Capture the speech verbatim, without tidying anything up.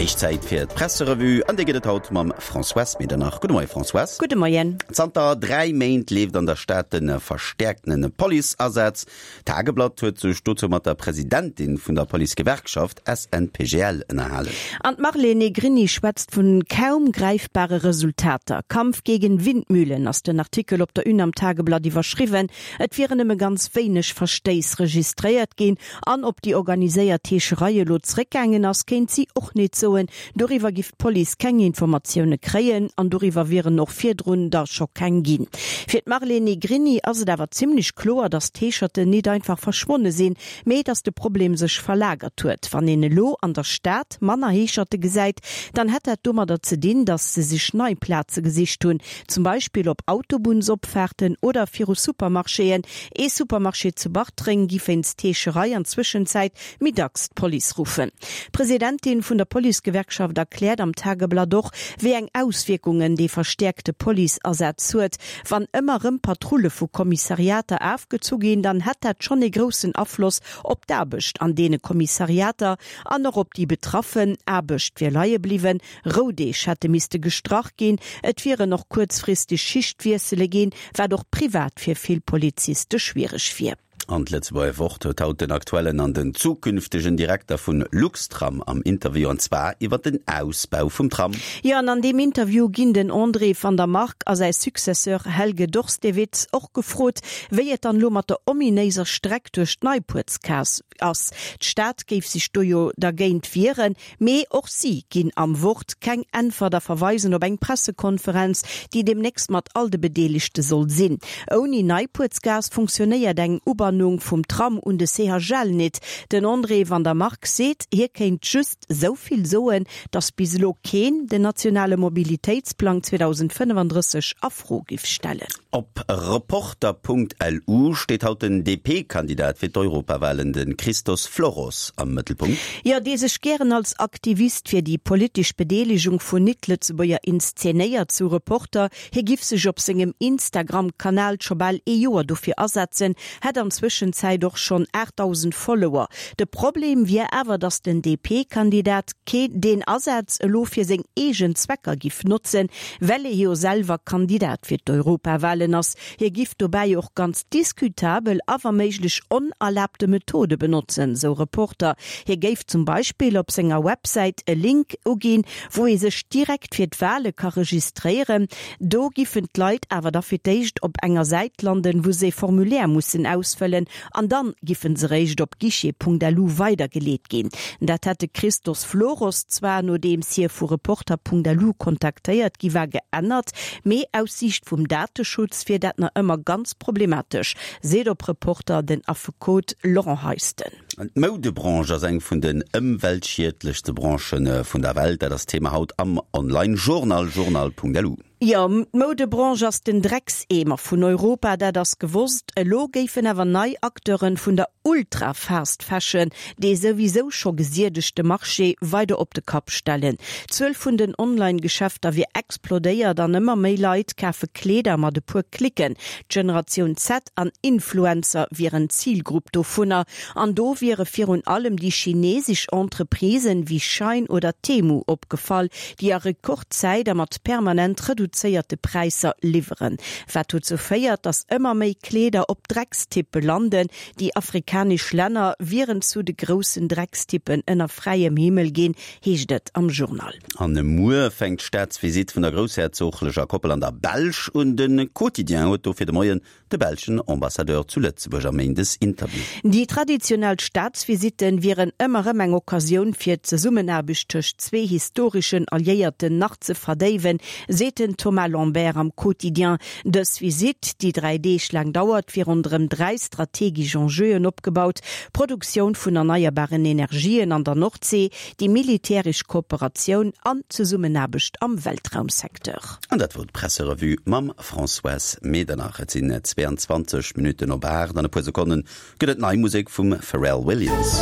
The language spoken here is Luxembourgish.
Héich Zäit fir d'Presserevue, an déi gëtt et haut mam Françoise Medernach. Gudde Moie Françoise. Gudde Moien. Zanter dräi Méint leeft an der Stad de verstäerktene Policeasaz. D'Tageblatt huet sech dozou mat der Presidentin vun der Policegewerkschaft S N P G L ënnerhalen. An d'Marlene Negrini schwätzt vun kaum greifbare Resultater. Kampf gegen Windmühlen ass den Artikel op der Une am Tageblatt iwwerschriwwen. Et wieren nëmme ganz wéineg Verstéiss registréiert ginn an ob déi organiséiert Heescherei elo zréckgaangen ass, kéint si och net soen. Doriwwer giff d'Police keng Informatioune kréien an doriwwer wieren och virdrun der scho keng ginn. Fir d'Marlene Negrini ass et awer zimmlech kloer, datt d'Heescherten net einfach verschwonne sinn, mee datt de Problem sech verlagert huet. Wann een elo an der Stad manner Heescherte gesäit, dann hätt dat domadder ze dinn, datt se sech nei Plaze gesicht hunn, zum Beispill op Autobunnsopfaarten oder viru Supermarchéen. Ee Supermarché zu Bartreng giff wéinst Heescherei an Zwëschenzäit méi dacks d'Police ruffen. D'Presidentin vun der Policegewerkschaft erkläert am Tageblatt och, wéi eng Auswierkungen dee verstäerkte Policeasaz huet. Wann ëmmer rëm Patrulle vu Kommissariater afgezu ginn, dann hätt dat schonn ee groussen Afloss op d'Aarbecht an deene Kommissariater an och op déi Betraffen. Aarbecht wier leie bliwwen, Roudeeg hätte misste gestrach ginn, et wieren och kuerzfristeg Schichtwiessele ginn, wat och privat fir vill Poliziste schwiereg wier. An d'Lëtzebuerger Wort huet haut den aktuellen an den zukünftegen Direkter vun Luxtram am Interview, an zwar iwwer den Ausbau vum Tram. Jo, an an deem Interview ginn den André van der Mark a säi Successeur Helge Dorstewitz och gefrot, wéi et dann elo mat der ominéiser Streck duerch d'Neipuertsgaass ass. D'Stad géif sech do jo dergéint wieren, mee och si ginn am Wort keng Äntwert a verweisen op eng Pressekonferenz, déi deemnächst mat all de Bedeelegte soll sinn. Ouni Neipuertsgaass funktionéiert eng Ubannung vum Tram un de C H L nit. Den André van der Mark seet, hie kéint just esou vill soen, datt bis elo keen den nationale Mobilitéitsplang zweedausendfënnefandrësseg a Fro giff stellen. Op Reporter Punkt L U steet haut den D P-Kandidat fir d'Europawalen, de Christos Floros, am Mëttelpunkt. Jo, dee sech gären als Aktivist fir déi politesch Bedeelegung vun Net-Lëtzebuerger inszenéiert, sou Reporter. Hie giff sech op sengem Instagram-Kanal scho bal ee Joer dofir asetzen, hätt an Zwëschenzäit och schonn aachtdausend Follower. De Problem wier awer, datt den D P-Kandidat kee deen Asaz elo fir seng eegen Zwecker giff notzen, well e jo selwer Kandidat fir d'Europawalen ass. Hie giff dobäi och ganz diskutabel a wa méiglech onerlaabte Methode benotzen, sou Reporter. Hie géif zum Beispill op senger Websäit e Link uginn, wou ee sech direkt fir d'Wale ka registréieren. Do giffen d'Leit awer da fir d'éischt op enger Säit landen, wou se e Formulaire mussen ausfëllen an dann giffen se réischt op guichet Punkt L U weidergeleet ginn. Dat hätt de Christos Floros zwar, nodeems hie vu Reporter Punkt L U kontaktéiert gi war, geännert, mee aus Siicht vum Dateschutz wier dat nach ëmmer ganz problematesch, seet op Reporter den Affekot Laurent Heisten. D'Moudebranche ass eng vun den ëmweltschiedlechste Branchë vun der Welt. Dat ass d'Thema haut am Online-Journal journal Punkt L U. Jo, d'Moudebranche ass den Dreckseemer vun Europa, dat ass gewosst. Elo géifen awer nei Acteuren vun der Ultra-Fast Fashion dee souwisou scho gesiedegte Marché weider op de Kapp stellen. D'Zuel vun den Online-Geschäfter wier explodéiert an ëmmer méi Leit kafe Kleeder mat e puer Klicken. D'Generatioun Z an Influencer wieren d'Zilgrupp dovunner. An do wiere virun allem déi chinesesch Entreprisen wéi Shein oder Temu opgefall, déi a Rekordzäit a mat permanent reduzéierte Präisser liwweren. Wat dozou féiert, datt ëmmer méi Kleeder op Dreckstippe landen. Déi afrikanesch Länner wieren zu de groussen Dreckstippen ënner fräiem Himmel ginn, heescht et am Journal. An muer fänkt d'Staatsvisitt vun der groussherzoglecher Koppel an der Belsch un. De Quotidien huet dofir de Moien de belschen Ambassadeur zu Lëtzebuerg am Méindesinterview. Déi traditionell Staatsvisitten wieren ëmmer erëm eng Occasioun fir d'Zesummenaarbecht tëscht zwee historeschen Alliéierten nach ze verdéiwen, seet den Thomas Lambert am Quotidien. Dës Visitt, déi dräi Deeg laang dauert, wier ronderëm dräi strategesch Enjeuen opgebaut, Produktioun vun erneierbaren Energien an der Nordsee, déi militäresch Kooperatioun an d'Zesummenaarbecht am Weltraumsecteur. An dat wor d'Presserevue mam Françoise Medernach. Et sinn zwéianzwanzeg Minutten op aacht. An e puer Sekonne gëtt et nei Musek vum Pharrell Williams.